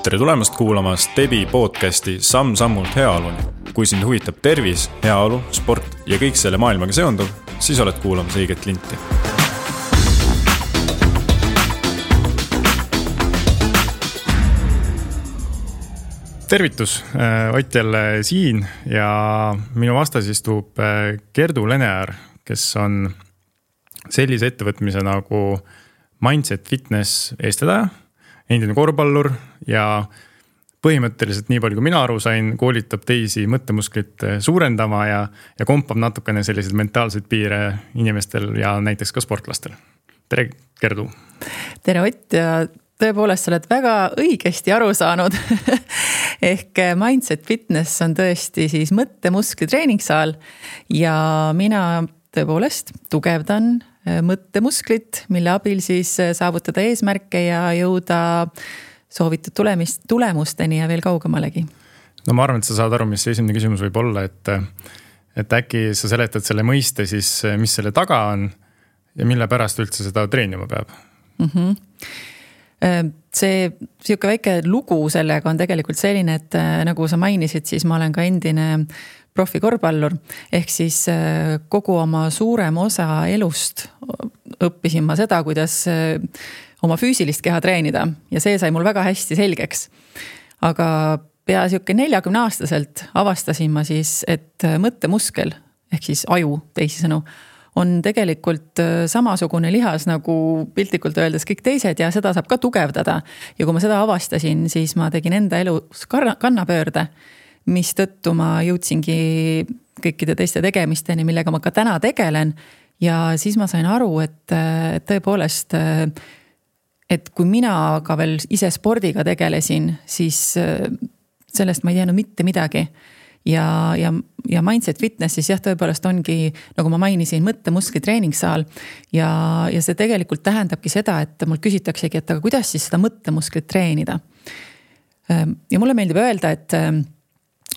Tere tulemast kuulama Stebi podcasti Samm-sammult heaoluni. Kui sind huvitab tervis, heaolu, sport ja kõik selle maailmaga seonduv, siis oled kuulamas õiget linti. Tervitus, Ott jälle siin ja minu vastas istub Gerdu Lenear, kes on sellise ettevõtmise nagu Mindset Fitness eestvedaja, endine korvpallur ja põhimõtteliselt nii palju kui mina aru sain, koolitab teisi mõttemusklit suurendama ja kompab natukene selliseid mentaalseid piire inimestel ja näiteks ka sportlastel. Tere, Gerdu! Tere, Ott! Ja tõepoolest, sa oled väga õigesti aru saanud. Ehk Mindset Fitness on tõesti siis mõttemuskli treeningsaal ja mina tõepoolest tugevdan mõttemusklit, mille abil siis saavutada eesmärke ja jõuda soovitud tulemusteni ja veel kaugemalegi. No ma arvan, et sa saad aru, mis esimene küsimus võib olla, et äkki sa seletad selle mõiste siis, mis selle taga on ja mille pärast üldse seda treenima peab? See siuke väike lugu sellega on tegelikult selline, et nagu sa mainisid, siis ma olen ka endine profikorvpallur, ehk siis kogu oma suurem osa elust õppisin ma seda, kuidas oma füüsilist keha treenida ja see sai mul väga hästi selgeks. Aga pea siuke 40-aastaselt avastasin ma siis, et mõttemuskel, ehk siis aju teisisõnu, on tegelikult samasugune lihas nagu piltlikult öeldes kõik teised ja seda saab ka tugevdada. Ja kui ma seda avastasin, siis ma tegin enda elus kannapöörde, mis tõttu ma jõudsingi kõikide teiste tegemisteni, millega ma ka täna tegelen. Ja siis ma sain aru, et tõepoolest, et kui mina ka veel ise spordiga tegelesin, siis sellest ma ei teadnud mitte midagi. Ja Mindset Fitness siis jah, tõepoolest ongi, nagu ma mainisin, mõttemuskli treeningsaal ja see tegelikult tähendabki seda, et mul küsitaksegi, et aga kuidas siis seda mõttemusklit treenida. Ja mulle meeldib öelda, et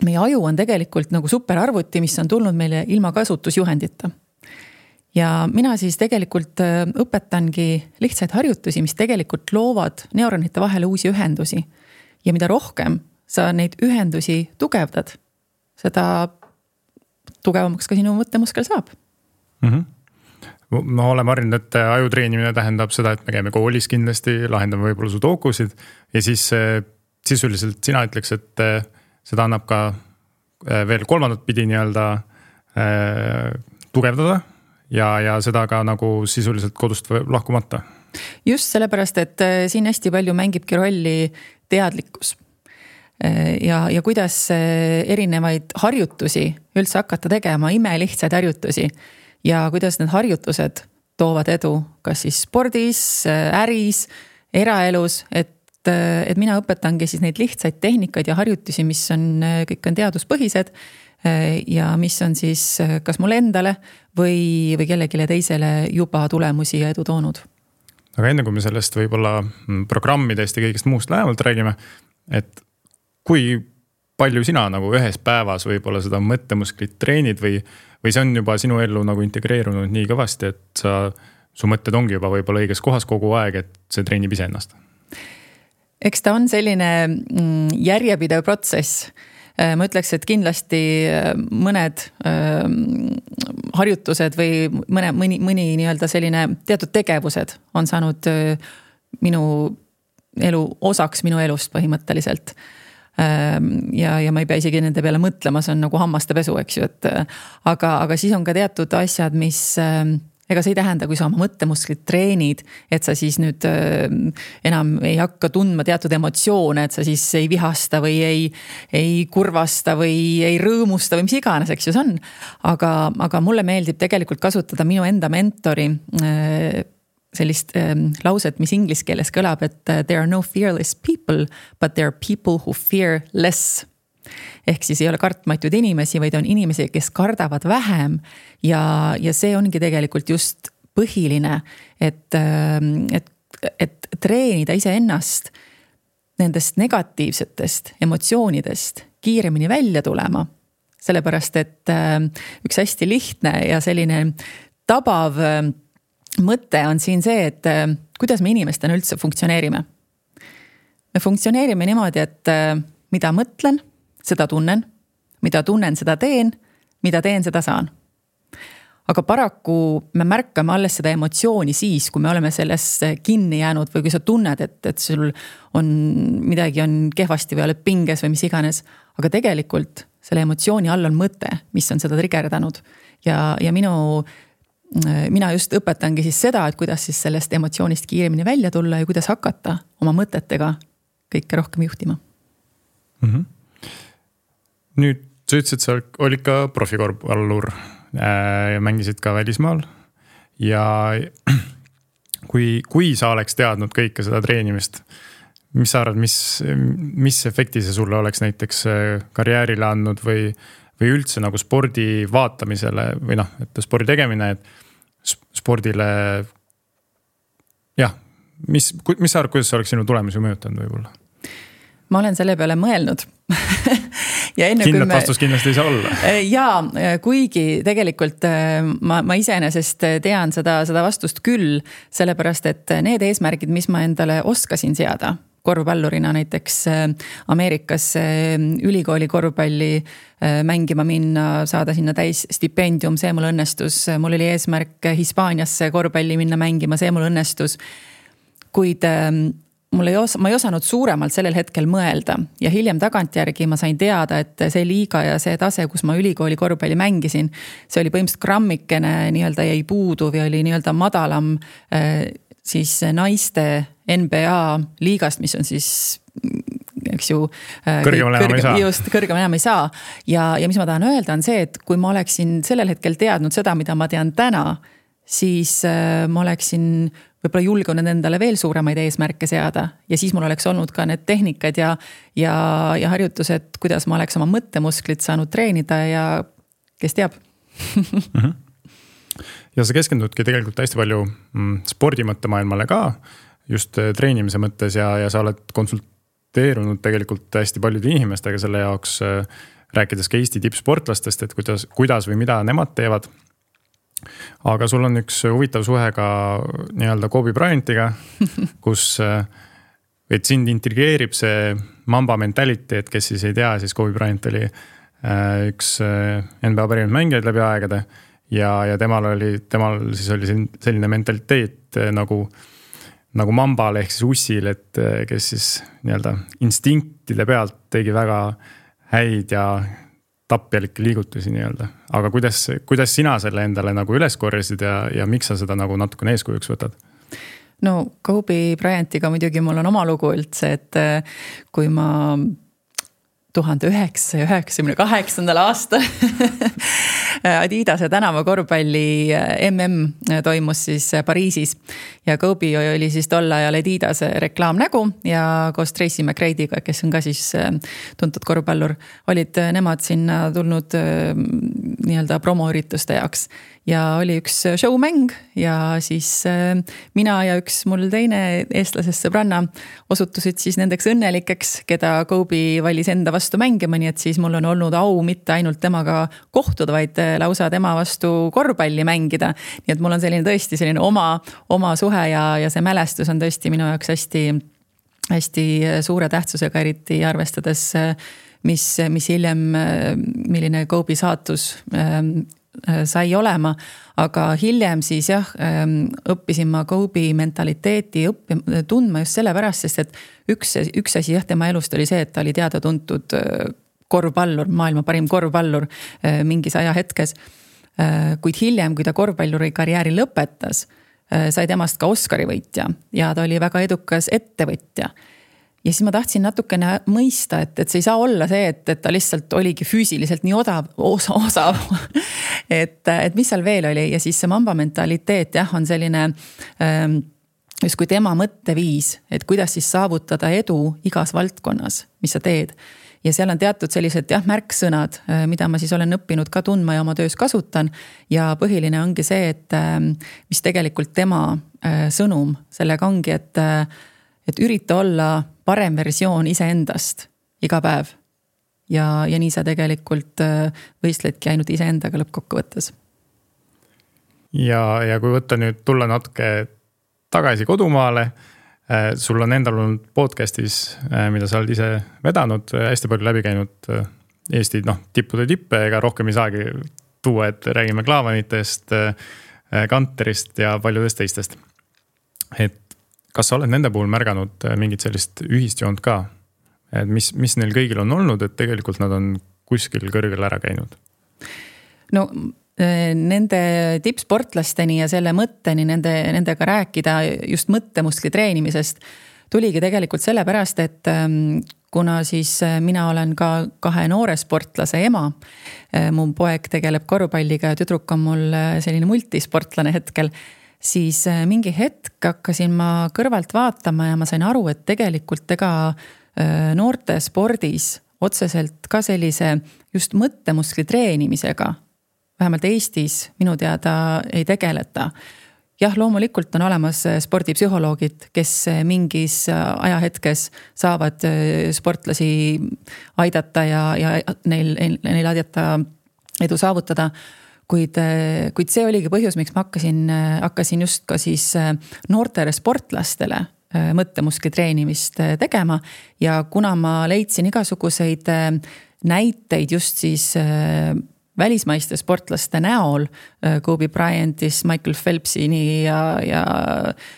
meie aju on tegelikult nagu superarvuti, mis on tulnud meile ilma kasutusjuhendita. Ja mina siis tegelikult õpetangi lihtsaid harjutusi, mis tegelikult loovad neuronite vahele uusi ühendusi. Ja mida rohkem sa neid ühendusi tugevdad, seda tugevamaks ka sinu mõttemuskel saab. Ma olen harjunud, et ajutreenimine tähendab seda, et me käime koolis kindlasti, lahendame võib-olla sudokusid ja siis sisuliselt sina ütleks, et seda annab ka veel kolmandat pidi nii-öelda tugevdada ja seda ka nagu sisuliselt kodust lahkumata. Just sellepärast, et siin hästi palju mängibki rolli teadlikkus. Ja kuidas erinevaid harjutusi üldse hakata tegema, imelihtsaid harjutusi ja kuidas need harjutused toovad edu, kas siis spordis, äris, eraelus, et mina õpetangi siis neid lihtsaid tehnikaid ja harjutusi, mis on, kõik on teaduspõhised ja mis on siis kas mulle endale või kellegile teisele juba tulemusi ja edu toonud. Aga enne kui me sellest võib-olla programmidest ja kõigest muust lähemalt räägime, et kui palju sina nagu ühes päevas võib-olla seda mõttemusklit treenid või see on juba sinu ellu nagu integreerunud nii kõvasti, et su mõtted ongi juba võib-olla õiges kohas kogu aeg, et see treenib ise ennast? Eks ta on selline järjepidev protsess. Ma ütleks, et kindlasti mõned harjutused või mõni nii-öelda selline teatud tegevused on saanud minu elu osaks minu elust põhimõtteliselt. Ja ma ei pea isegi nende peale mõtlema, see on nagu hammaste pesu, eks ju, aga siis on ka teatud asjad, mis ega see ei tähenda, kui sa oma mõttemusklit treenid, et sa siis nüüd enam ei hakka tundma teatud emotsioone, et sa siis ei vihasta või ei kurvasta või ei rõõmusta või mis iganes, eks ju see on. Aga mulle meeldib tegelikult kasutada minu enda mentori sellist lauset, mis inglise keeles kõlab, et there are no fearless people, but there are people who fear less. Ehk siis ei ole kartmatuid inimesi, vaid on inimesi, kes kardavad vähem ja see ongi tegelikult just põhiline, et treenida ise ennast nendest negatiivsetest emotsioonidest kiiremini välja tulema. Sellepärast, et üks hästi lihtne ja selline tabav mõte on siin see, et kuidas me inimestena üldse funktsioneerime. me funktsioneerime niimoodi, et mida mõtlen, seda tunnen, mida tunnen, seda teen, mida teen, seda saan. Aga paraku me märkame alles seda emotsiooni siis, kui me oleme selles kinni jäänud või kui sa tunned, et sul on midagi on kehvasti või oled pinges või mis iganes. Aga tegelikult selle emotsiooni all on mõte, mis on seda trigerdanud. Ja mina just õpetangi siis seda, et kuidas siis sellest emotsioonist kiiremini välja tulla ja kuidas hakata oma mõtetega kõike rohkem juhtima. Nüüd sa ütlesid, sa olid ka profikorvpallur ja mängisid ka välismaal ja kui sa oleks teadnud kõike seda treenimist, mis sa arvad, mis efekti see sulle oleks näiteks karjäärile andnud või üldse nagu spordi vaatamisele või et spordi tegemine, et spordile mis sa arvad, kuidas see oleks sinu tulemusi mõjutanud võib-olla? Ma olen selle peale mõelnud ja kindlat vastus kindlasti ei saa olla. Ja kuigi tegelikult ma iseenesest tean seda vastust küll, sellepärast et need eesmärgid, mis ma endale oskasin seada, korvpallurina näiteks Ameerikas ülikooli korvpalli mängima minna, saada sinna täis stipendium, see mul õnnestus. Mul oli eesmärk Hispaaniasse korvpalli minna mängima, see mul õnnestus. Kuid ma ei osanud suuremalt sellel hetkel mõelda ja hiljem tagantjärgi ma sain teada, et see liiga ja see tase, kus ma ülikooli korvpalli mängisin, see oli põhimõtteliselt grammikene nii-öelda jäi puudu või oli nii-öelda madalam siis naiste NBA liigast, mis on siis eks ju kõrgem enam ei saa. Ja mis ma tahan öelda on see, et kui ma oleksin sellel hetkel teadnud seda, mida ma tean täna, siis ma oleksin võib-olla julgunud endale veel suuremaid eesmärke seada ja siis mul oleks olnud ka need tehnikad ja harjutused, kuidas ma oleks oma mõttemusklit saanud treenida ja kes teab. Ja sa keskendudki tegelikult hästi palju spordimõttemaailmale ka, just treenimise mõttes ja sa oled konsulteerunud tegelikult hästi paljude inimestega selle jaoks, rääkides ka Eesti tippsportlastest, et kuidas või mida nemad teevad. Aga sul on üks huvitav suhe ka nii-öelda Kobe Bryantiga, kus et sind intrigeerib see Mamba mentaliteet, kes siis ei tea, siis Kobe Bryant oli üks NBA parimad mängijad läbi aegade ja temal siis oli selline mentaliteet nagu Mambal ehk siis ussil, et kes siis nii-öelda instinktide pealt tegi väga häid ja tapjalikke liigutusi nii-öelda. Aga kuidas sina selle endale nagu üles korjasid ja miks sa seda nagu natukene eeskujuks võtad? No Kobe Bryantiga muidugi mul on oma lugu üldse, et kui ma 1998. aastal Adidase tänava korvpalli toimus siis Pariisis ja Kobe oli siis tol ajal Adidase reklaamnägu ja koos Tracy McGrady'ga, kes on ka siis tuntud korvpallur, olid nemad sinna tulnud nii-öelda promoürituste jaoks ja oli üks showmäng ja siis mina ja üks mul teine eestlasest sõbranna osutusid siis nendeks õnnelikeks, keda Kobe valis enda vastu mängima, nii et siis mul on olnud au mitte ainult temaga kohtuda, vaid lausa tema vastu korvpalli mängida. Nii et mul on tõesti selline oma suhe ja see mälestus on tõesti minu jaoks hästi suure tähtsusega, eriti arvestades, mis hiljem, milline Kobe saatus sai olema, aga hiljem siis õppisin ma Kobe mentaliteeti tundma just sellepärast, sest et üks asi tema elust oli see, et ta oli teada tuntud korvpallur, maailma parim korvpallur mingis ajahetkes. Kuid hiljem, kui ta korvpalluri karjääri lõpetas, sai temast ka Oscari võitja ja ta oli väga edukas ettevõtja. Ja siis ma tahtsin natukene mõista, et see ei saa olla see, et ta lihtsalt oligi füüsiliselt nii osav. et mis seal veel oli ja siis see Mamba mentaliteet on selline just kui tema mõtteviis, et kuidas siis saavutada edu igas valdkonnas, mis sa teed. Ja seal on teatud sellised märksõnad, mida ma siis olen õppinud ka tundma ja oma töös kasutan ja põhiline ongi see, et mis tegelikult tema sõnum sellega ongi, et ürita olla parem versioon iseendast iga päev. Ja nii sa tegelikult võistledki ainult iseendaga lõppkokkuvõttes. Ja kui võtta nüüd tulla natuke tagasi kodumaale, sul on endal olnud podcastis, mida sa oled ise vedanud, hästi palju läbi käinud Eesti tippude tippe, ega rohkem ei saagi tuua, et räägime Klaavanitest, Kanterist ja paljudest teistest. Et kas sa oled nende puhul märganud mingit sellist ühist joont ka? Et mis neil kõigil on olnud, et tegelikult nad on kuskil kõrgel ära käinud? No nende tippsportlasteni ja selle mõtteni nendega rääkida just mõttemuskli treenimisest tuligi tegelikult sellepärast, et kuna siis mina olen ka 2 noore sportlase ema, mu poeg tegeleb korvpalliga ja tüdruk on mul selline multisportlane hetkel, siis mingi hetk hakkasin ma kõrvalt vaatama ja ma sain aru, et tegelikult noorte spordis otseselt ka sellise just mõttemuskli treenimisega, vähemalt Eestis minu teada ei tegeleta. Jah, loomulikult on olemas spordipsühholoogid, kes mingis ajahetkes saavad sportlasi aidata ja neil aidata edu saavutada. Kuid see oligi põhjus, miks ma hakkasin just ka siis noortele sportlastele mõttemuskli treenimist tegema. Ja kuna ma leidsin igasuguseid näiteid just siis välismaiste sportlaste näol, Kobe Bryantist, Michael Phelpsini ja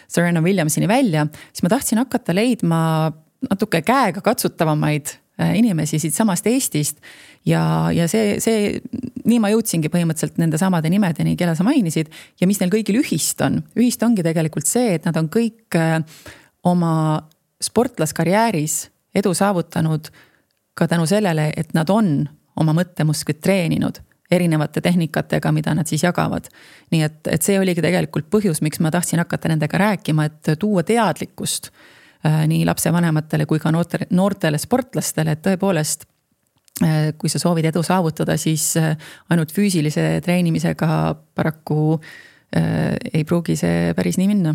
Serena Williamsini välja, siis ma tahtsin hakata leidma natuke käega katsutavamaid inimesi siit samast Eestist ja nii ma jõudsingi põhimõtteliselt nende samade nimedeni, keda sa mainisid ja mis neil kõigil ühist on. Ühist ongi tegelikult see, et nad on kõik oma sportlaskarjääris edu saavutanud ka tänu sellele, et nad on oma mõttemusklit treeninud erinevate tehnikatega, mida nad siis jagavad. Nii et see oligi tegelikult põhjus, miks ma tahtsin hakata nendega rääkima, et tuua teadlikkust nii lapsevanematele kui ka noortele sportlastele, et tõepoolest, kui sa soovid edu saavutada, siis ainult füüsilise treenimisega paraku ei pruugi see päris nii minna.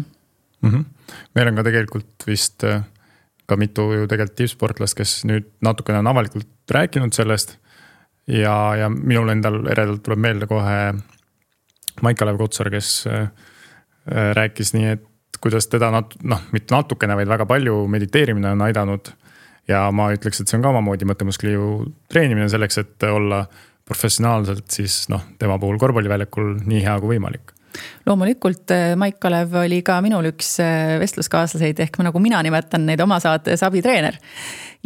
Meil on ka tegelikult vist ka mitu ju tegelikult tippsportlast, kes nüüd natukene on avalikult rääkinud sellest ja minul endal eredalt tuleb meelde kohe Maik-Kalev Kotsar, kes rääkis nii, et kuidas teda mitte natukene, vaid väga palju mediteerimine on aidanud ja ma ütleks, et see on ka omamoodi mõttemuskli ju treenimine selleks, et olla professionaalselt siis tema puhul korvpalliväljakul nii hea kui võimalik. Loomulikult Maik-Kalev oli ka minul üks vestluskaaslaseid ehk nagu mina nimetan neid oma saates abitreener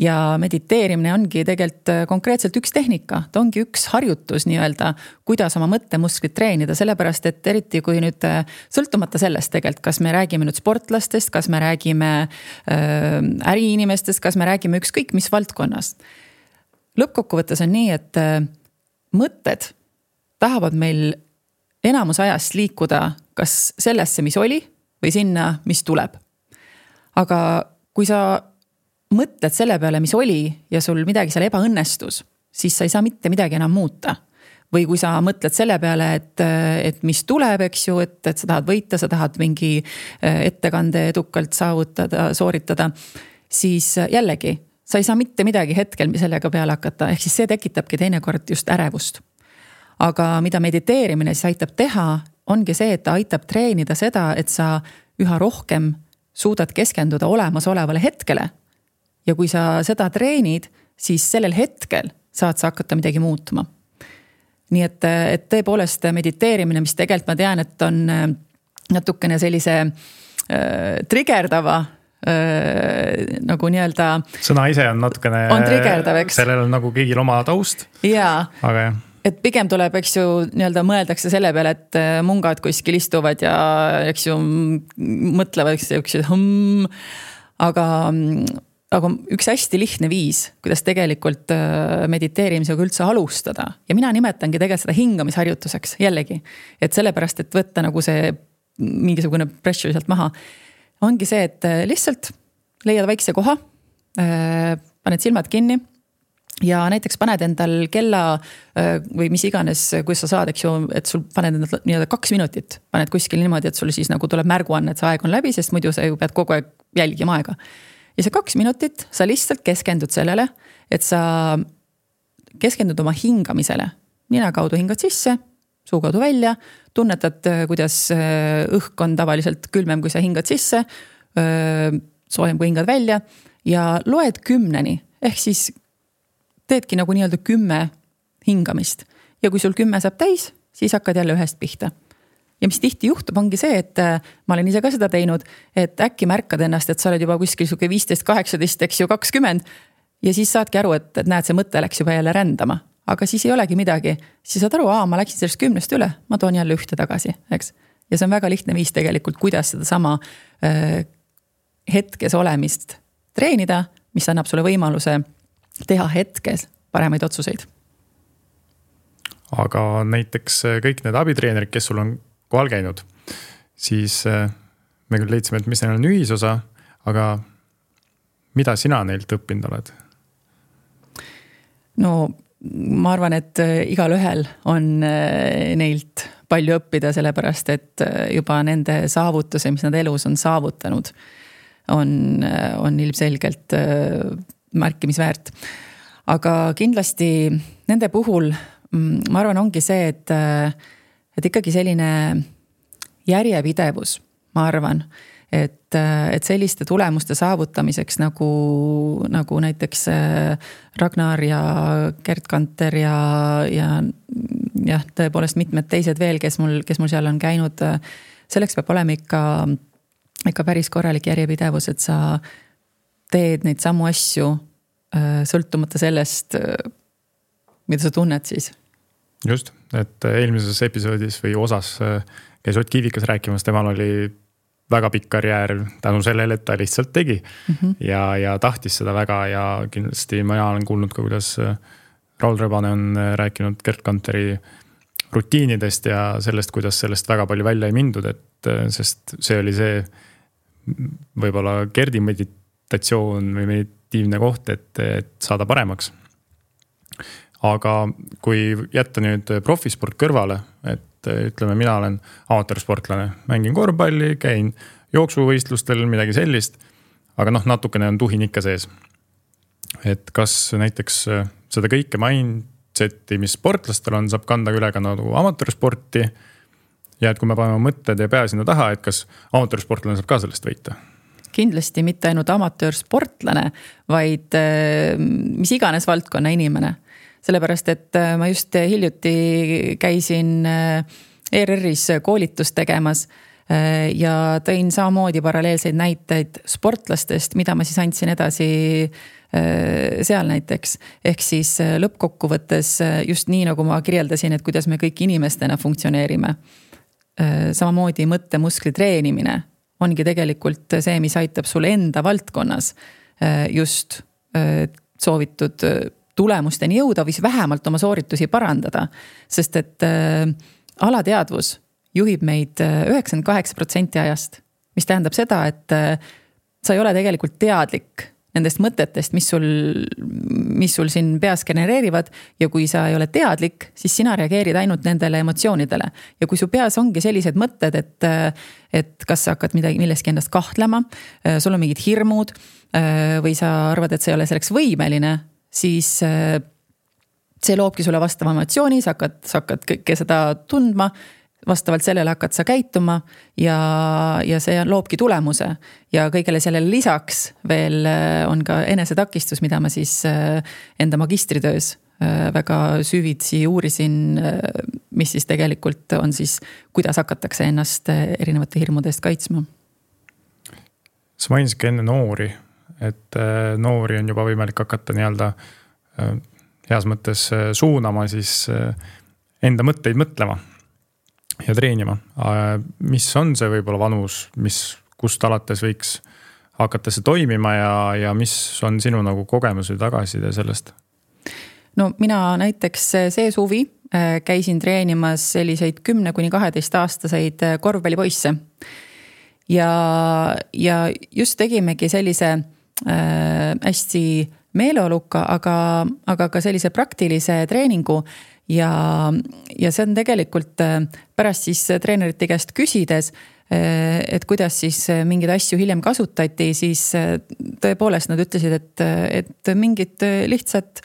ja mediteerimine ongi tegelikult konkreetselt üks tehnika, ta ongi üks harjutus nii-öelda, kuidas oma mõttemusklit treenida, sellepärast et eriti kui nüüd sõltumata sellest tegelikult, kas me räägime nüüd sportlastest, kas me räägime äriinimestest, kas me räägime ükskõik mis valdkonnast. Lõppkokkuvõttes on nii, et mõtted tahavad meil enamus ajast liikuda kas sellesse, mis oli või sinna, mis tuleb. Aga kui sa mõtled selle peale, mis oli ja sul midagi seal ebaõnnestus, siis sa ei saa mitte midagi enam muuta. Või kui sa mõtled selle peale, et mis tuleb, eks ju, et sa tahad võita, sa tahad mingi ettekande edukalt sooritada, siis jällegi, sa ei saa mitte midagi hetkel sellega peale hakata, ehk siis see tekitabki teinekord just ärevust. Aga mida mediteerimine siis aitab teha, ongi see, et ta aitab treenida seda, et sa üha rohkem suudad keskenduda olemasolevale hetkele. Ja kui sa seda treenid, siis sellel hetkel saad sa hakata midagi muutma. Nii et tõepoolest mediteerimine, mis tegelikult ma tean, et on natukene sellise triggerdava nagu nii-öelda sõna ise on natukene on triggerdav, eks? Sellel on nagu kõigil oma taust. Jaa. Aga jah. Et pigem tuleb, eks ju, nii-öelda mõeldakse selle peale, et mungad kuskil istuvad ja eks ju mõtlevad, eks ju, aga üks hästi lihtne viis, kuidas tegelikult mediteerimisega üldse alustada. Ja mina nimetangi tegelikult seda hingamisharjutuseks jällegi. Et sellepärast, et võtta nagu see mingisugune pressure sealt maha, ongi see, et lihtsalt leiad väikse koha, paned silmad kinni, ja näiteks paned endal kella või mis iganes, kui sa saad, eks ju, et sul paned endal 2 minutit, paned kuskil niimoodi, et sul siis nagu tuleb märguanne, et see aeg on läbi, sest muidu sa ju pead kogu aeg jälgima aega. Ja see 2 minutit, sa lihtsalt keskendud sellele, et sa keskendud oma hingamisele. Nina kaudu hingad sisse, suu kaudu välja, tunnetad, kuidas õhk on tavaliselt külmem, kui sa hingad sisse, soojem kui hingad välja ja loed 10, ehk siis teedki nagu nii-öelda 10 hingamist. Ja kui sul 10 saab täis, siis hakkad jälle ühest pihta. Ja mis tihti juhtub, ongi see, et ma olen ise ka seda teinud, et äkki märkad ennast, et sa oled juba kuskil 15, 18, eks ju 20 ja siis saadki aru, et näed, see mõte läks juba jälle rändama, aga siis ei olegi midagi. Siis saad aru, ma läksin sellest 10 üle, ma toon jälle ühte tagasi, eks. Ja see on väga lihtne viis tegelikult, kuidas seda sama hetkes olemist treenida, mis annab sulle võimaluse teha hetkes paremaid otsuseid. Aga näiteks kõik need abitreenerid, kes sul on kohal käinud, siis me küll leidsime, et mis neil on ühisosa, aga mida sina neilt õppinud oled? No ma arvan, et igal ühel on neilt palju õppida, sellepärast, et juba nende saavutuse, mis nad elus on saavutanud, on ilmselgelt märkimisväärt. Aga kindlasti nende puhul, ma arvan, ongi see, et ikkagi selline järjepidevus, ma arvan, et selliste tulemuste saavutamiseks nagu näiteks Ragnar ja Gerd Kanter ja tõepoolest mitmed teised veel, kes mul seal on käinud, selleks peab olema ikka päris korralik järjepidevus, et sa teed neid samu asju sõltumata sellest, mida sa tunned siis. Just, et eelmises episoodis või osas käis Ott Kiivikas rääkimas, temal oli väga pikk karjäär tänu sellele, et ta lihtsalt tegi ja tahtis seda väga ja kindlasti ma olen kuulnud ka, kuidas Raul Rebane on rääkinud Gerd Kanteri rutiinidest ja sellest, kuidas sellest väga palju välja ei mindud, sest see oli see võib-olla Gerdi meditatsioon või meditiivne koht, et saada paremaks. Aga kui jätta nüüd profisport kõrvale, et ütleme, mina olen amatöörsportlane, mängin korvpalli, käin jooksuvõistlustel, midagi sellist, aga natukene on tuhin ikka sees. Et kas näiteks seda kõike mindseti, mis sportlastel on, saab kanda üle ka nagu amatöörsporti ja et kui me paneme mõtted ja pea sinna taha, et kas amatöörsportlane saab ka sellest võita? Kindlasti mitte ainult amatöörsportlane, vaid mis iganes valdkonna inimene. Sellepärast, et ma just hiljuti käisin ERR-is koolitust tegemas ja tõin samamoodi paralleelseid näiteid sportlastest, mida ma siis andsin edasi seal näiteks. Ehk siis lõppkokkuvõttes just nii, nagu ma kirjeldasin, et kuidas me kõik inimestena funktsioneerime. Samamoodi mõttemuskli treenimine ongi tegelikult see, mis aitab sul enda valdkonnas just soovitud tulemusteni jõuda või vähemalt oma sooritusi parandada. Sest et alateadvus juhib meid 98% ajast, mis tähendab seda, et sa ei ole tegelikult teadlik nendest mõtetest, mis sul siin peas genereerivad ja kui sa ei ole teadlik, siis sina reageerid ainult nendele emotsioonidele. Ja kui su peas ongi sellised mõtted, et kas sa hakkad milleski endast kahtlema, sul on mingid hirmud või sa arvad, et sa ei ole selleks võimeline, siis see loobki sulle vastava emotsiooni, sa hakkad kõike seda tundma, vastavalt sellele hakkad sa käituma ja see loobki tulemuse. Ja kõigele sellele lisaks veel on ka enesetakistus, mida ma siis enda magistritöös väga süvitsi uurisin, mis siis tegelikult on siis, kuidas hakatakse ennast erinevate hirmudest kaitsma. Sa mainisid enne noori, et noori on juba võimalik hakata nii-öelda heas mõttes suunama siis enda mõtteid mõtlema ja treenima. Mis on see võib-olla vanus, kust alates võiks hakata see toimima ja mis on sinu nagu kogemus või tagasiside sellest? No mina näiteks see suvi käisin treenimas selliseid 10–12 aastaseid korvpallipoisse ja just tegimegi sellise hästi meeleoluka, aga ka sellise praktilise treeningu ja see on tegelikult pärast siis treenerite käest küsides, et kuidas siis mingeid asju hiljem kasutati, siis tõepoolest nad ütlesid, et mingid lihtsad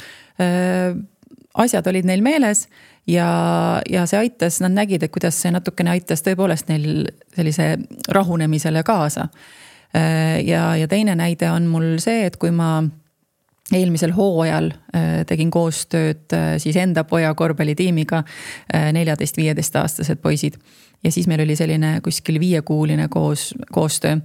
asjad olid neil meeles ja see aitas, nad nägid, et kuidas see natukene aitas tõepoolest neil sellise rahunemisele kaasa. Ja teine näide on mul see, et kui ma eelmisel hooajal tegin koostööd siis enda poja korvpallitiimiga 14-15 aastased poisid. Ja siis meil oli selline kuskil 5-kuuline koostöö.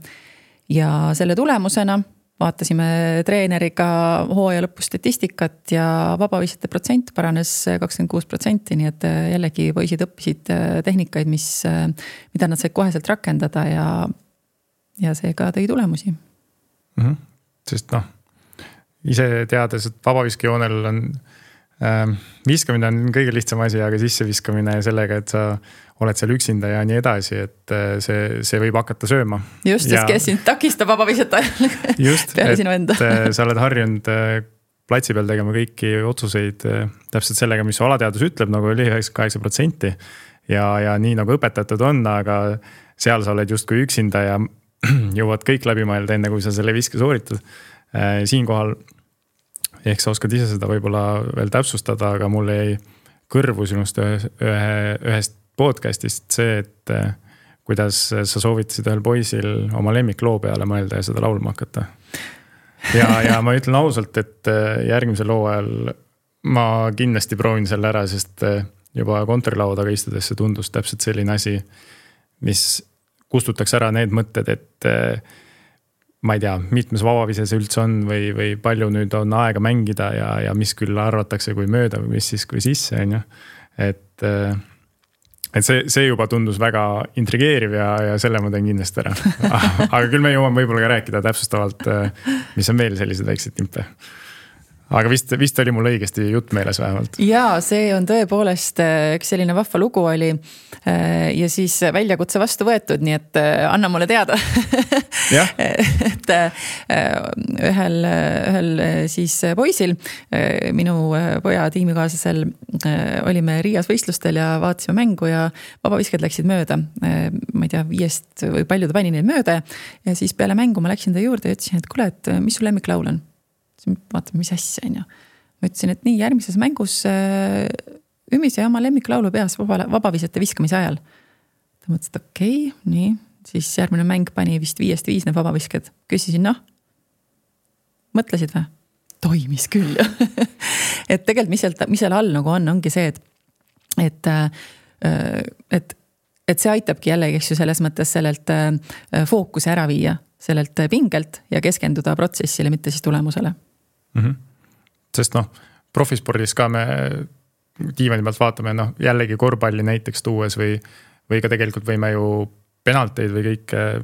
Ja selle tulemusena vaatasime treeneriga hooaja lõpu statistikat ja vabavisjate protsent paranes 26%, nii et jällegi poisid õppisid tehnikaid, mida nad said koheselt rakendada ja see ka tõi tulemusi. Sest ise teades, et vabaviskejoonel on viskamine on kõige lihtsam asi, aga sisseviskamine ja sellega, et sa oled seal üksinda ja nii edasi, et see võib hakata sööma. Just, sest kes sind takistab vabavisjat ajal peale sinu enda. Sa oled harjunud platsi peal tegema kõiki otsuseid täpselt sellega, mis su alateadus ütleb, nagu oli 98% ja nii nagu õpetatud on, aga seal sa oled justkui üksinda ja jõuad kõik läbi mõelda enne, kui sa selle viske sooritad. Siinkohal ehk sa oskad ise seda võib-olla veel täpsustada, aga mulle jäi kõrvu sinust ühest podcastist see, et kuidas sa soovitasid ühel poisil oma lemmikloo peale mõelda ja seda laulma hakata. Ja ma ütlen ausalt, et järgmisel loo ajal ma kindlasti proovin selle ära, sest juba kontorilaua istudes see tundus täpselt selline asi, mis kustutaks ära need mõtted, et ma ei tea, mitmes vabavise see üldse on või palju nüüd on aega mängida ja mis küll arvatakse kui mööda või mis siis kui sisse on ju. Et see juba tundus väga intrigeeriv ja selle ma teen kindlasti ära. Aga küll me jõuame võib-olla ka rääkida täpsustavalt, mis on veel sellised väiksed timpe. Aga vist oli mul õigesti jutt meeles vähemalt. Jaa, see on tõepoolest üks selline vahva lugu oli ja siis väljakutse vastu võetud, nii et anna mulle teada. Et ühel siis poisil, minu poja tiimikaaslasel olime Riias võistlustel ja vaatasime mängu ja vabavisked läksid mööda. Ma ei tea, 5 või palju ta pani neid mööda ja siis peale mängu ma läksin ta juurde ja ütlesin, et kuule, et mis sul lemmiklaul on? Vaatame, mis asja on ju. Ma ütlesin, et nii järgmises mängus Ümise oma lemmiklaulu peas vabavisete viskamise ajal. Ta mõtles, et okei, nii. Siis järgmine mäng pani vist 5-5 need vabavisked. Küsisin, mõtlesid või? Toimis küll. Et tegelikult, mis seal all nagu ongi see, et see aitabki jällegi selles mõttes sellelt fookuse ära viia, sellelt pingelt ja keskenduda protsessile, mitte siis tulemusele. Sest profispordis ka me diivani pealt vaatame, jällegi korvpalli näiteks tuues või ka tegelikult võime ju penalteid või kõike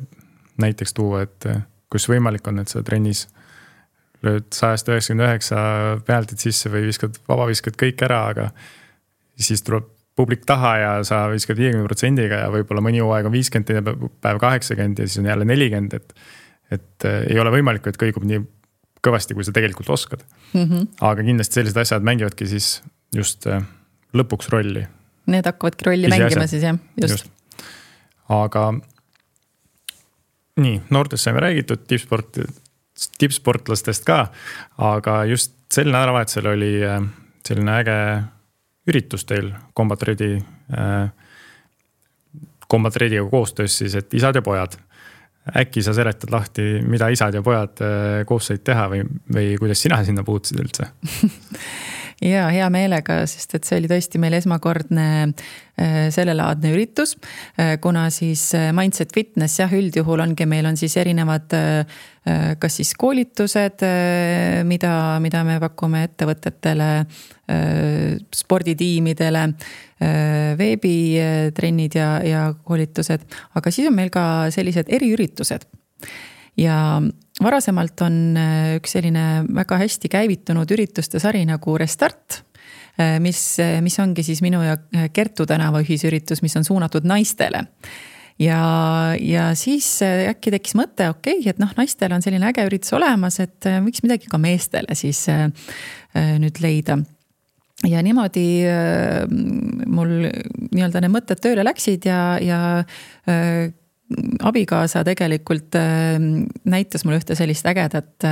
näiteks tuua, et kus võimalik on, et sa trennis lööd 199 penaltid sisse või vabaviskad kõik ära, aga siis tuleb publik taha ja sa viskad 50%-ga ja võib-olla mõni hooaeg on 50, päev 80 ja siis on jälle 40, et ei ole võimalik, et kõigub nii kõvasti, kui sa tegelikult oskad. Aga kindlasti sellised asjad mängivadki siis just lõpuks rolli. Need hakkavadki rolli mängima siis, jah. Just. Aga nii, noortest saime räägitud, tippsportlastest ka, aga just sel nädalavahetusel oli selline äge üritus teil Combat Ready'ga koostöös siis, et isad ja pojad. Äkki sa seletad lahti, mida isad ja pojad koos said teha või kuidas sina sinna puutusid üldse? Ja hea meelega, sest et see oli tõesti meil esmakordne sellelaadne üritus, kuna siis Mindset Fitness üldjuhul meil on siis erinevad kas siis koolitused, mida me pakume ettevõtetele, sporditiimidele, veebitrennid ja koolitused, aga siis on meil ka sellised eriüritused. Ja varasemalt on üks selline väga hästi käivitunud ürituste sari nagu Restart, mis ongi siis minu ja Kertu tänava ühisüritus, mis on suunatud naistele. Ja siis äkki tekkis mõte, et naistel on selline äge üritus olemas, et võiks midagi ka meestele siis nüüd leida. Ja niimoodi mul nii-öelda need mõtted tööle läksid ja abikaasa tegelikult näitas mulle ühte sellist ägedat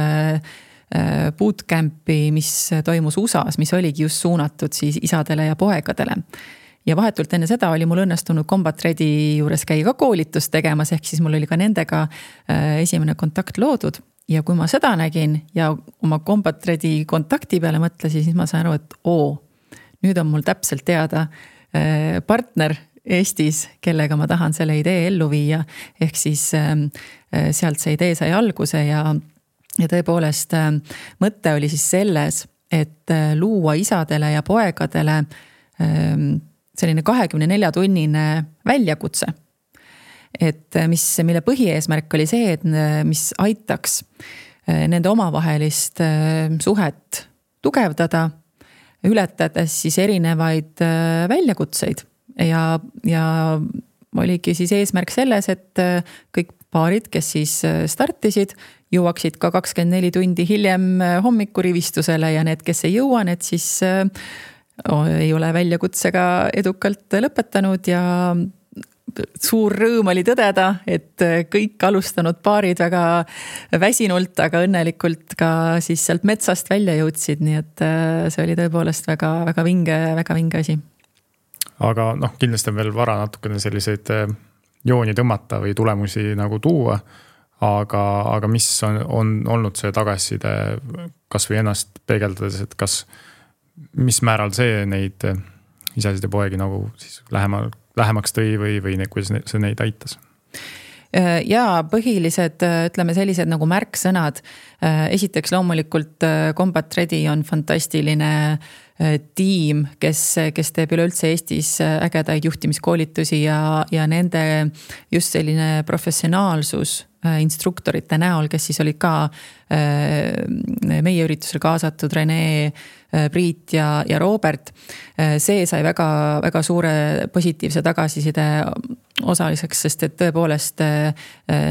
bootcampi, mis toimus USAs, mis oligi just suunatud siis isadele ja poegadele. ja vahetult enne seda oli mul õnnestunud Combat Ready juures käia ka koolitust tegemas, ehk siis mul oli ka nendega esimene kontakt loodud. Ja kui ma seda nägin ja oma Combat Ready kontakti peale mõtlesin, siis ma sain aru, et nüüd on mul täpselt teada partner Eestis, kellega ma tahan selle idee ellu viia. Ehk siis sealt see idee sai alguse ja tõepoolest mõte oli siis selles, et luua isadele ja poegadele selline 24-tunnine väljakutse. Et mille põhieesmärk oli see, et mis aitaks nende omavahelist suhet tugevdada, ületades siis erinevaid väljakutseid ja oligi siis eesmärk selles, et kõik paarid, kes siis startisid, jõuaksid ka 24 tundi hiljem hommikurivistusele ja need, kes ei jõua, need siis ei ole väljakutsega edukalt lõpetanud ja suur rõõm oli tõdeda, et kõik alustanud paarid väga väsinult, aga õnnelikult ka siis sealt metsast välja jõudsid, nii et see oli tõepoolest väga vinge asi. Aga kindlasti on veel vara natukene selliseid jooni tõmmata või tulemusi nagu tuua, aga mis on olnud see tagasiside kas või ennast peegeldades, et mis määral see neid isasid ja poegi nagu siis lähemaks tõi või kuidas see neid aitas? Ja põhilised, ütleme sellised nagu märksõnad. Esiteks loomulikult Combat Ready on fantastiline tiim, kes teeb üleüldse Eestis ägedaid juhtimiskoolitusi ja nende just selline professionaalsus instruktorite näol, kes siis olid ka meie üritusel kaasatud, Rene, Priit ja Robert. See sai väga suure positiivse tagasiside osaliseks, sest et tõepoolest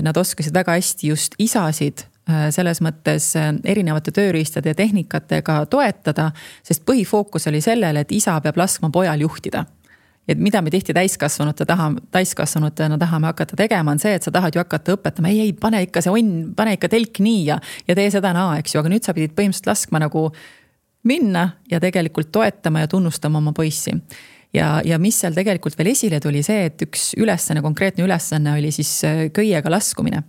nad oskasid väga hästi just isasid selles mõttes erinevate tööriistade ja tehnikatega toetada, sest põhifookus oli sellele, et isa peab laskma pojal juhtida. Et mida me tihti täiskasvanutena tahame hakata tegema, on see, et sa tahad ju hakata õpetama, ei, pane ikka see pane ikka telk nii ja tee seda naa, eks ju, aga nüüd sa pidid põhimõtteliselt laskma nagu minna ja tegelikult toetama ja tunnustama oma poissi. Ja mis seal tegelikult veel esile tuli see, et üks konkreetne ülesanne oli siis köiega laskumine.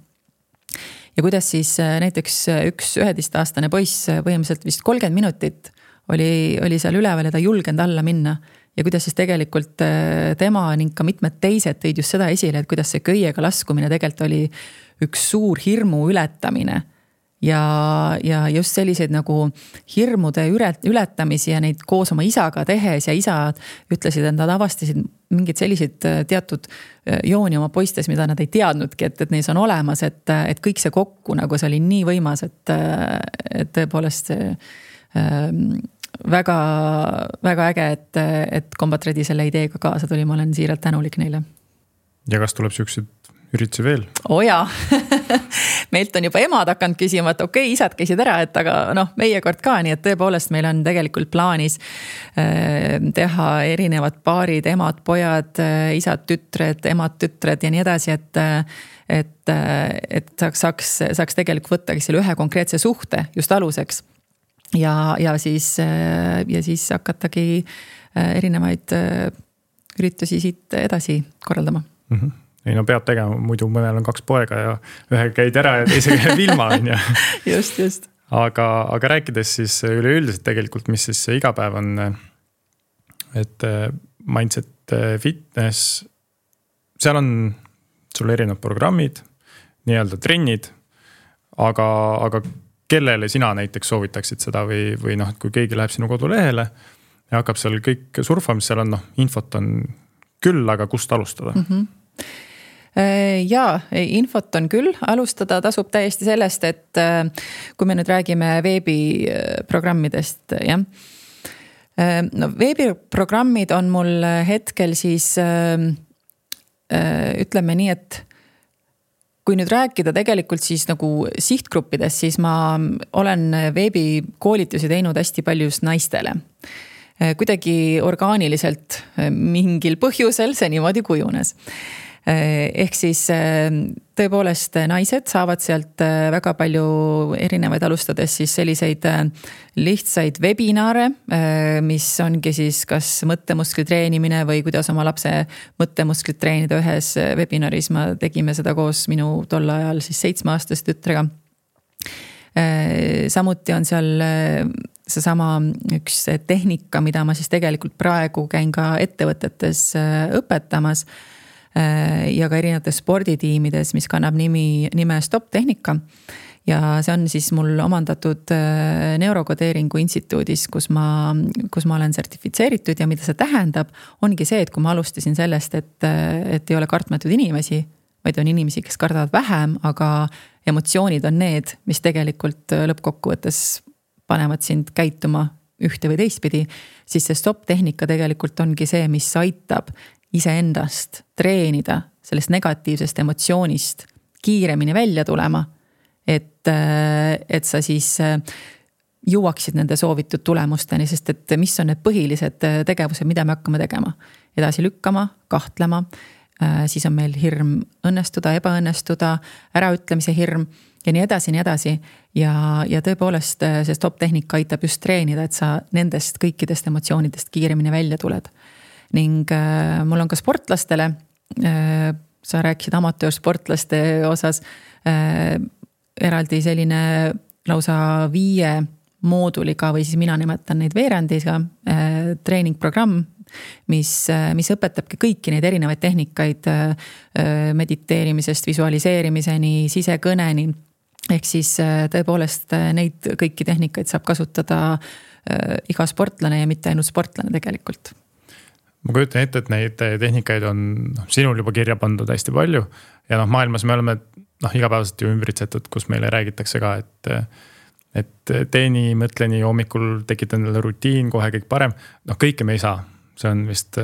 Ja kuidas siis näiteks üks 11-aastane poiss põhimõtteliselt vist 30 minutit oli seal üleval ja ta julgenud alla minna. Ja kuidas siis tegelikult tema ning ka mitmed teised tõid just seda esile, et kuidas see köiega laskumine tegelikult oli üks suur hirmu ületamine. Ja just selliseid nagu hirmude ületamisi ja neid koos oma isaga tehes ja isad ütlesid, et nad avastasid mingid sellised teatud jooni oma poistes, mida nad ei teadnudki, et neis on olemas, et kõik see kokku nagu see oli nii võimas, et tõepoolest väga äge, et Combat Ready selle ideega kaasa tuli, ma olen siiralt tänulik neile. Ja kas tuleb süksid üritusi veel? Jaa, meilt on juba emad hakanud küsima, et okei, isad käisid ära, et aga meie kord ka, nii et tõepoolest meil on tegelikult plaanis teha erinevad paarid, emad, pojad, isad, tütred, emad, tütred ja nii edasi, et saaks tegelikult võtta selle ühe konkreetse suhte just aluseks ja siis hakatagi erinevaid üritusi siit edasi korraldama. Mm-hmm. Ei peab tegema, muidu mõnel on 2 poega ja ühe käid ära ja teise käib ilma. Just. Aga rääkides siis üleüldiselt tegelikult, mis siis igapäev on, et mindset fitness, seal on sul erinevad programmid, nii-öelda trennid, aga kellele sina näiteks soovitaksid seda või kui keegi läheb sinu kodulehele ja hakkab seal kõik surfama, seal on infot on küll, aga kust alustada? Mm-hmm. Jaa, infot on küll, alustada tasub täiesti sellest, et kui me nüüd räägime veebiprogrammidest, jah. Veebiprogrammid on mul hetkel siis ütleme nii, et kui nüüd rääkida tegelikult siis nagu sihtgruppides, siis ma olen veebikoolitusi teinud hästi palju just naistele. Kuidagi orgaaniliselt mingil põhjusel see niimoodi kujunes. Ehk siis tõepoolest naised saavad sealt väga palju erinevaid, alustades siis selliseid lihtsaid webinaare, mis ongi siis kas mõttemuskli treenimine või kuidas oma lapse mõttemusklit treenida. Ühes webinaris tegime seda koos minu tol ajal siis 7-aastase tütrega. Samuti on seal seesama üks tehnika, mida ma siis tegelikult praegu käin ka ettevõtetes õpetamas ja ka erinevates sporditiimides, mis kannab nime Stop tehnika. Ja see on siis mul omandatud neurokodeeringu instituudis, kus ma olen sertifitseeritud ja mida see tähendab, ongi see, et kui ma alustasin sellest, et ei ole kartmatud inimesi, vaid on inimesi, kes kardavad vähem, aga emotsioonid on need, mis tegelikult lõppkokkuvõttes panevad sind käituma ühte või teistpidi, siis see Stop tehnika tegelikult ongi see, mis aitab iseendast treenida sellest negatiivsest emotsioonist kiiremini välja tulema, et sa siis jõuaksid nende soovitud tulemusteni, sest et mis on need põhilised tegevused, mida me hakkame tegema. Edasi lükkama, kahtlema, siis on meil hirm õnnestuda, ebaõnnestuda, äraütlemise hirm ja nii edasi. Ja tõepoolest see Stop tehnika aitab just treenida, et sa nendest kõikidest emotsioonidest kiiremini välja tuled. Ning mul on ka sportlastele, sa rääkisid amatöörsportlaste osas, eraldi selline lausa 5 mooduliga või siis mina nimetan neid veerandiga treeningprogramm, mis õpetabki kõiki neid erinevaid tehnikaid mediteerimisest, visualiseerimiseni, sisekõneni. Ehk siis tõepoolest neid kõiki tehnikaid saab kasutada iga sportlane ja mitte ainult sportlane tegelikult. Ma kujutan ette, et neid tehnikaid on sinul juba kirja pandud hästi palju ja maailmas me oleme igapäevaselt ju ümbritsetud, kus meile räägitakse ka, et teeni, mõtleni, hommikul tekita endale rutiin, kohe kõik parem. Kõike me ei saa, see on vist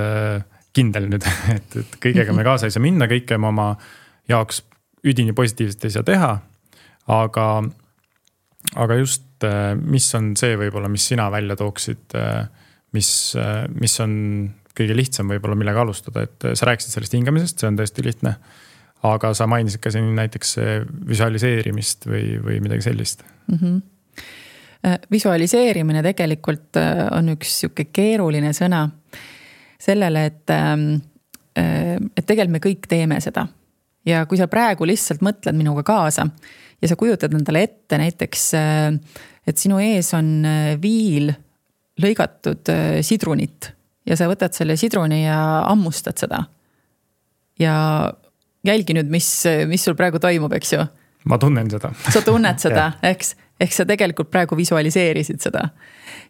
kindel nüüd, et kõigega me kaasa ei saa minna, kõike me oma jaoks üdini positiivselt ei saa teha, aga just mis on see võib-olla, mis sina välja tooksid, mis on kõige lihtsam võib-olla millega alustada, et sa rääkisid sellest hingamisest, see on tõesti lihtne, aga sa mainisid ka siin näiteks visualiseerimist või midagi sellist. Visualiseerimine tegelikult on üks siuke keeruline sõna sellele, et tegelikult me kõik teeme seda. Ja kui sa praegu lihtsalt mõtled minuga kaasa ja sa kujutad endale ette näiteks, et sinu ees on viil lõigatud sidrunit, ja sa võtad selle sidruni ja ammustad seda. Ja jälgi nüüd, mis sul praegu toimub, eks ju? Ma tunnen seda. Sa tunned seda, eks? Ehk sa tegelikult praegu visualiseerisid seda.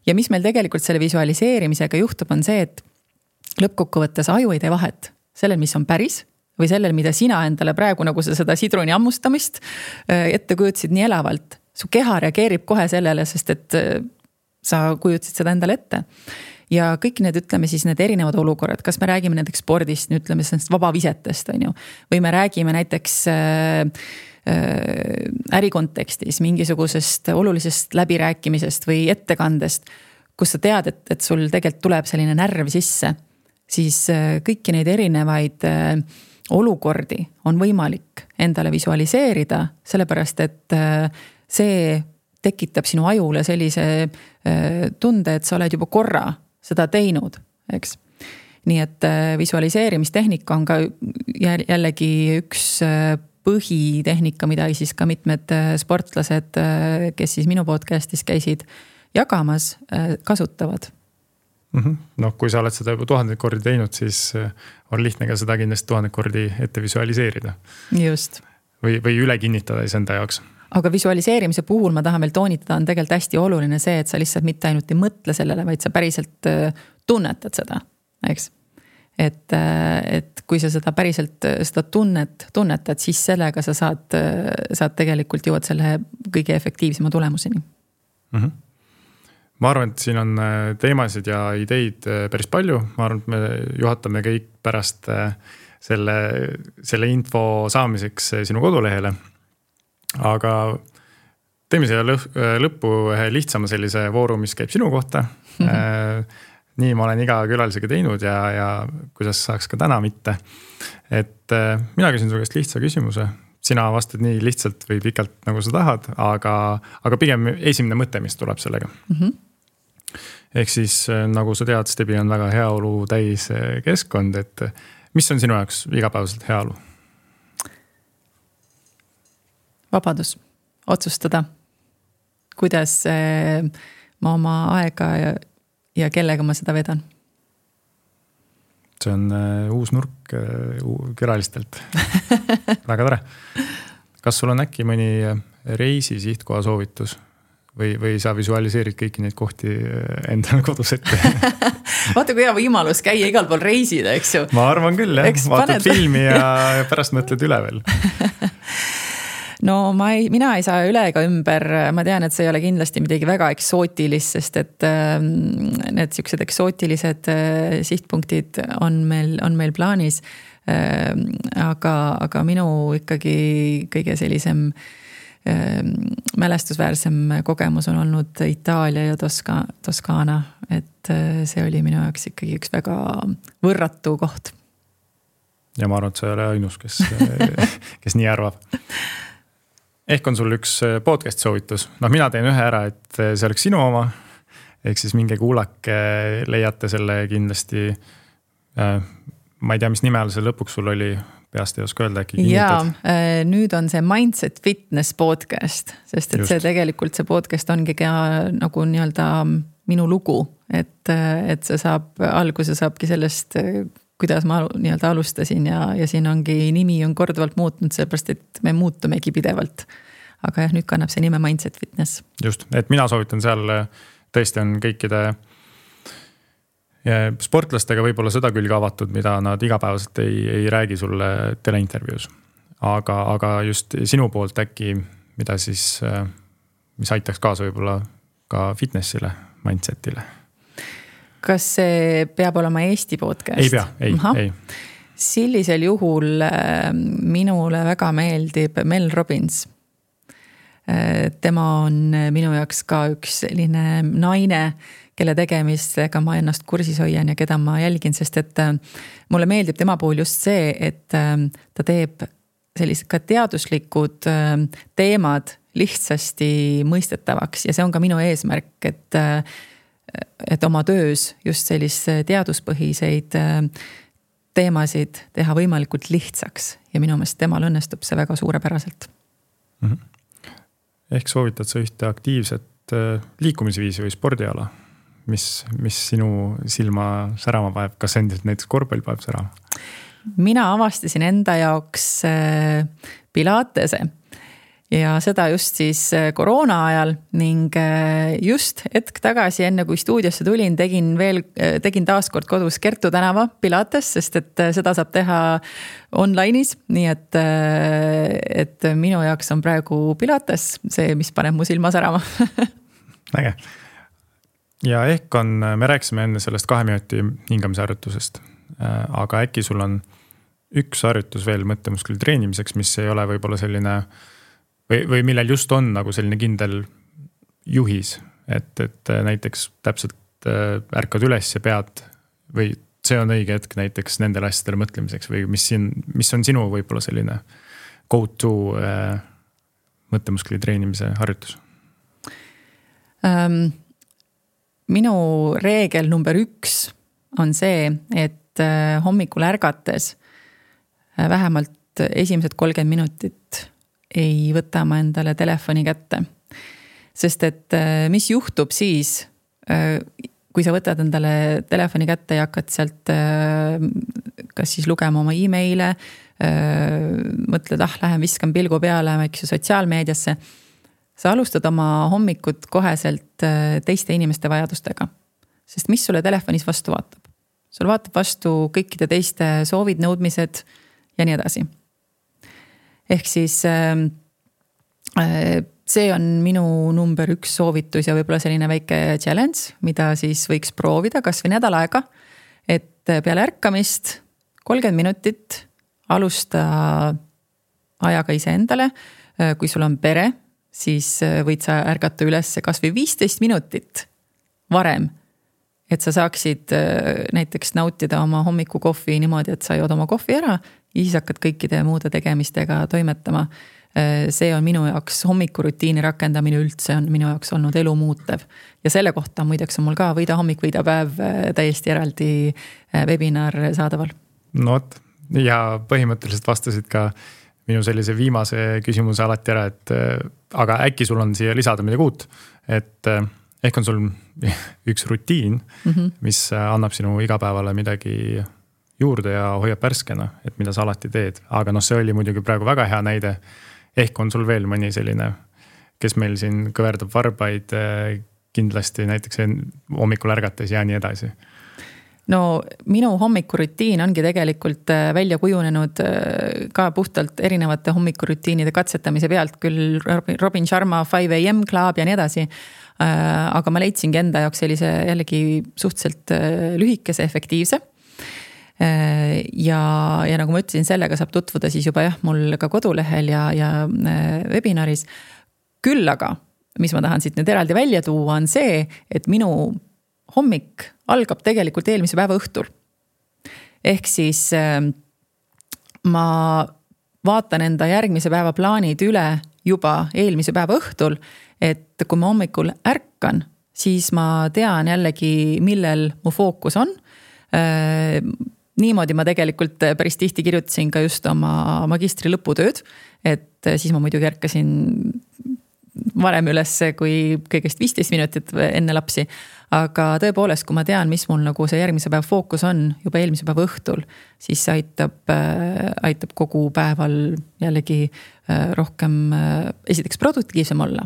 Ja mis meil tegelikult selle visualiseerimisega juhtub, on see, et lõppkokkuvõttes aju ei tee vahet sellel, mis on päris, või sellel, mida sina endale praegu, nagu sa seda sidruni ammustamist ette kujutasid nii elavalt. Su keha reageerib kohe sellele, sest et sa kujutasid seda endale ette. Ja kõik need, ütleme siis need erinevad olukorrad, kas me räägime näiteks spordist, ütleme sellest vabavisetest, on ju, või me räägime näiteks ärikontekstis mingisugusest olulisest läbirääkimisest või ettekandest, kus sa tead, et sul tegelikult tuleb selline närv sisse, siis kõiki neid erinevaid olukordi on võimalik endale visualiseerida, sellepärast et see tekitab sinu ajule sellise tunde, et sa oled juba korra seda teinud, eks. Nii et visualiseerimistehnika on ka jällegi üks põhitehnika, mida siis ka mitmed sportlased, kes siis minu podcastis käisid jagamas, kasutavad. Kui sa oled seda juba 1000 kordi teinud, siis on lihtne ka seda kindlasti 1000 kordi ette visualiseerida. Just. Või üle kinnitada enda jaoks. Aga visualiseerimise puhul ma tahan veel toonitada, on tegelikult hästi oluline see, et sa lihtsalt mitte ainult ei mõtle sellele, vaid sa päriselt tunnetad seda, eks. Et kui sa seda päriselt seda tunnetad, siis sellega sa saad tegelikult jõuad selle kõige efektiivsema tulemuseni. Ma arvan, et siin on teemasid ja ideid päris palju. Ma arvan, et me juhatame kõik pärast selle info saamiseks sinu kodulehele. Aga teeme siia lõppu ühe lihtsama sellise vooru, mis käib sinu kohta. nii ma olen iga külalisega teinud ja kuidas saaks ka täna mitte. Et mina küsin su käest lihtsa küsimuse. Sina vastad nii lihtsalt või pikalt nagu sa tahad, aga pigem esimene mõte, mis tuleb sellega. Ehk siis nagu sa tead, Stebi on väga heaolu täis keskkond, et mis on sinu jaoks igapäevaselt heaolu? Vabadus otsustada, kuidas ma oma aega ja kellega ma seda vedan. See on uus nurk külalistelt. Väga tore. Kas sul on äkki mõni reisi sihtkoha soovitus või sa visualiseerid kõiki neid kohti endale kodus ette? Vaata, kui hea võimalus käia igal pool reisida, eks ju? Ma arvan küll, jah. Vaatad filmi ja pärast mõtled üle veel. No mina ei saa üle ega ümber, ma tean, et see ei ole kindlasti midagi väga eksootilist, sest et need siuksed eksootilised sihtpunktid on meil plaanis. Aga minu ikkagi kõige sellisem mälestusväärsem kogemus on olnud Itaalia ja Toskaana, et see oli minu jaoks ikkagi üks väga võrratu koht. Ja ma arvan, et sa ei ole ainus, kes nii arvab. Ehk on sul üks podcast soovitus. Mina teen ühe ära, et see oleks sinu oma. Ehk siis minge kuulake, leiate selle kindlasti. Ma ei tea, mis nimel see lõpuks sul oli, peast ei oska öelda äkki kinnitad. Ja nüüd on see Mindset Fitness podcast, sest et see podcast ongi nagu nii-öelda minu lugu, et see alguse saabki sellest, kuidas ma nii-öelda alustasin ja siin ongi nimi on korduvalt muutnud, sellepärast, et me muutumegi pidevalt. Aga nüüd kannab see nime Mindset Fitness. Just, et mina soovitan seal tõesti on kõikide sportlastega võib-olla seda küll avatud, mida nad igapäevaselt ei räägi sulle teleintervjuus. Aga just sinu poolt äkki, mida siis, mis aitaks kaasa võib-olla ka fitnessile, mindsetile. Kas see peab olema Eesti podcast? Ei pea, ei. Sellisel juhul minule väga meeldib Mel Robbins. Tema on minu jaoks ka üks selline naine, kelle tegemistega ma ennast kursis hoian ja keda ma jälgin, sest et mulle meeldib tema puhul just see, et ta teeb sellised ka teaduslikud teemad lihtsasti mõistetavaks ja see on ka minu eesmärk, et oma töös just sellise teaduspõhiseid teemasid teha võimalikult lihtsaks ja minu meelest temal õnnestub see väga suurepäraselt. Ehk soovitad sa ühte aktiivset liikumisviisi või spordiala, mis sinu silma särama paeb, kas endiselt näiteks korvpall paeb särama? Mina avastasin enda jaoks pilatese ja seda just siis koroona ajal ning just hetk tagasi enne kui stuudiosse tulin, tegin taaskord kodus Kertu tänava pilates, sest et seda saab teha online'is, nii et minu jaoks on praegu pilates see, mis paneb mu silma särama. Äge. Ja ehk me rääkisime enne sellest 2 minuti hingamisharjutusest, aga äkki sul on üks harjutus veel mõttemuskli treenimiseks, mis ei ole võib-olla selline või millel just on nagu selline kindel juhis, et näiteks täpselt ärkad üles ja pead või see on õige hetk näiteks nendele asjadele mõtlemiseks või mis on sinu võib-olla selline go-to mõttemuskli treenimise harjutus? Minu reegel number 1 on see, et hommikul ärgates vähemalt esimesed 30 minutit ei võta ma endale telefoni kätte. Sest et mis juhtub siis, kui sa võtad endale telefoni kätte ja hakkad sealt kas siis lugema oma e-maile, mõtled, lähen viskan pilgu peale sotsiaalmeediasse, sa alustad oma hommikut koheselt teiste inimeste vajadustega. Sest mis sulle telefonis vastu vaatab? Sul vaatab vastu kõikide teiste soovid, nõudmised ja nii edasi. Ehk siis see on minu number 1 soovitus ja võib-olla selline väike challenge, mida siis võiks proovida kas või nädal aega, et peale ärkamist 30 minutit alusta ajaga ise endale. Kui sul on pere, siis võid sa ärgata üles kas või 15 minutit varem, et sa saaksid näiteks nautida oma hommikukohvi niimoodi, et sa jood oma kohvi ära ja siis hakkad kõikide muude tegemistega toimetama. See on minu jaoks hommikurutiini rakendamine üldse on minu jaoks olnud elu muutev. Ja selle kohta muideks on mul ka Võida hommik, Võida päev täiesti eraldi webinar saadaval. No võt, ja põhimõtteliselt vastasid ka minu sellise viimase küsimuse alati ära, et aga äkki sul on siia lisada midagi uut, et ehk on sul üks rutiin, mis annab sinu igapäevale midagi juurde ja hoiab värskena, et mida sa alati teed. Aga see oli muidugi praegu väga hea näide. Ehk on sul veel mõni selline, kes meil siin kõverdab varbaid kindlasti näiteks hommikul ärgates ja nii edasi? No minu hommikurutiin ongi tegelikult välja kujunenud ka puhtalt erinevate hommikurutiinide katsetamise pealt, küll Robin Sharma 5 AM Club ja nii edasi. Aga ma leidsingi enda jaoks sellise jällegi suhteliselt lühikese, efektiivse. Ja nagu ma ütlesin, sellega saab tutvuda siis juba mul ka kodulehel ja webinaris. Küll aga, mis ma tahan siit nüüd eraldi välja tuua, on see, et minu hommik algab tegelikult eelmise päeva õhtul. Ehk siis ma vaatan enda järgmise päeva plaanid üle juba eelmise päeva õhtul, et kui ma hommikul ärkan, siis ma tean jällegi, millel mu fookus on. Niimoodi ma tegelikult päris tihti kirjutasin ka just oma magistri lõputööd, et siis ma muidugi ärkasin varem üles kui kõigest 15 minutit enne lapsi. Aga tõepoolest, kui ma tean, mis mul nagu see järgmise päeva fookus on juba eelmise päeva õhtul, siis see aitab kogu päeval jällegi rohkem esiteks produktiivsem olla.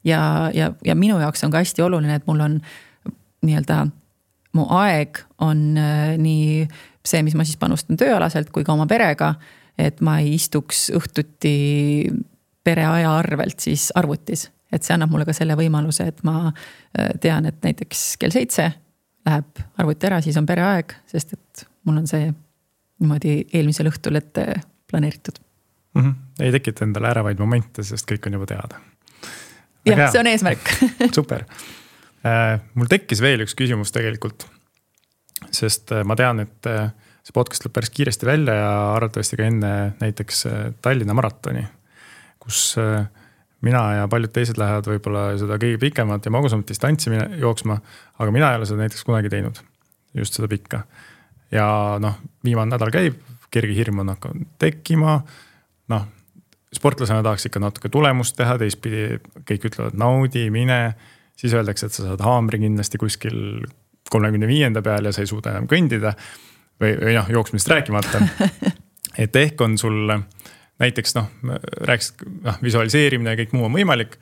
Ja minu jaoks on ka hästi oluline, et mul on nii-öelda mu aeg on nii see, mis ma siis panustan tööalaselt kui ka oma perega, et ma ei istuks õhtuti pere aja arvelt siis arvutis. Et see annab mulle ka selle võimaluse, et ma tean, et näiteks kell 7 läheb arvuti ära, siis on pere aeg, sest et mul on see niimoodi eelmisel õhtul ette planeeritud. Ei tekita endale ärevaid momente, sest kõik on juba teada. Jah, see on eesmärk. Super. Mul tekkis veel üks küsimus tegelikult, sest ma tean, et see podcast lõb päris kiiresti välja ja arvatavasti ka enne näiteks Tallinna maratoni, kus mina ja paljud teised lähevad võib-olla seda kõige pikemat ja magusamat distantsi jooksma, aga mina ei ole seda näiteks kunagi teinud, just seda pikka. Ja viimane nädal käib, kerge hirm on hakanud tekkima, sportlasena tahaks ikka natuke tulemust teha, teistpidi kõik ütlevad naudi, mine, siis öeldakse, et sa saad haamri kindlasti kuskil 35. peal ja sa ei suuda enam kõndida või jooksmist rääkimata. Et ehk on sul näiteks rääksid visualiseerimine ja kõik muu on võimalik,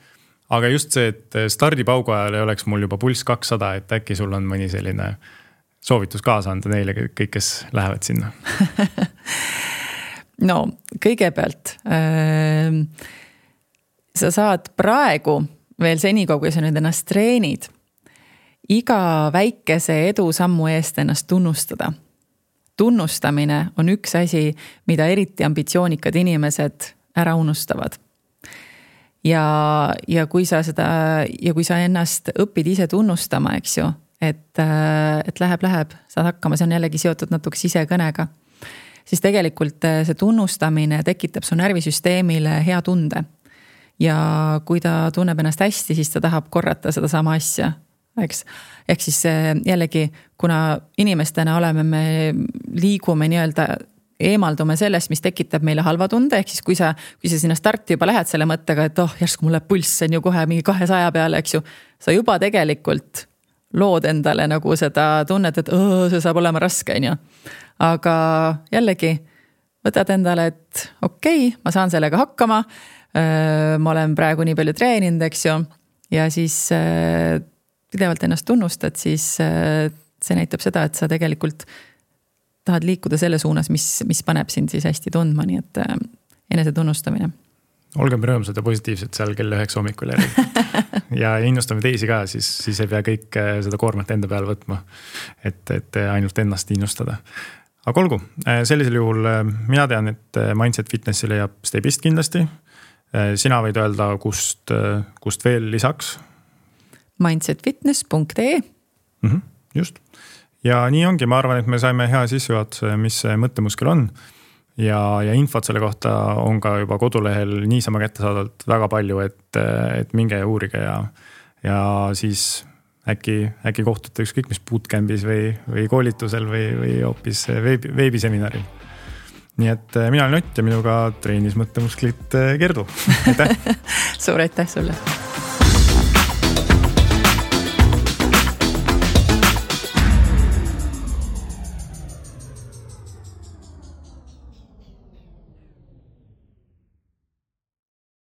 aga just see, et stardipaugu ajal ei oleks mul juba pulss 200, et äkki sul on mõni selline soovitus kaasa anda neile kõik, kes lähevad sinna? No kõigepealt sa saad praegu veel senikaua, kui sa nüüd ennast treenid, iga väikese edusammu eest ennast tunnustada. Tunnustamine on üks asi, mida eriti ambitsioonikad inimesed ära unustavad. Ja kui sa ennast õpid ise tunnustama, eks ju, et läheb, saad hakkama, see on jällegi seotud natuke sisekõnega, siis tegelikult see tunnustamine tekitab su närvisüsteemile hea tunde. Ja kui ta tunneb ennast hästi, siis ta tahab korrata seda sama asja. Eks? Ehk siis jällegi, kuna inimestena me liigume nii-öelda, eemaldume sellest, mis tekitab meile halva tunde, ehk siis kui sa sinna starti juba lähed selle mõttega, et järsku mulle pulss on ju kohe mingi 200 peale, eks ju, sa juba tegelikult lood endale nagu seda tunnet, et see saab olema raske, on ju. Aga jällegi võtad endale, et okei, ma saan sellega hakkama, ma olen praegu nii palju treeninud, eks ju, ja siis pidevalt ennast tunnustad, siis see näitab seda, et sa tegelikult tahad liikuda selle suunas, mis paneb sind siis hästi tundma, nii et enese tunnustamine. Olgem rõõmsad ja positiivsed seal kell 9 hommikul järgi. Ja innustame teisi ka, siis ei pea kõik seda koormat enda peale võtma, et ainult ennast innustada. Aga olgu, sellisel juhul mina tean, et Mindset Fitnessi leiab Stebist kindlasti. Sina võid öelda, kust veel lisaks? mindsetfitness.ee Just. Ja nii ongi, ma arvan, et me saime hea sissejuhatuse, mis see mõttemuskel on. Ja infot selle kohta on ka juba kodulehel niisama kättesaadavalt väga palju, et minge ja uurige ja siis äkki kohtute ükskõik mis bootcampis või koolitusel või hoopis veebiseminaril. Nii et mina olen Ott ja minuga treenis mõttemusklit Gerdu. Aitäh! Suur aitäh sulle!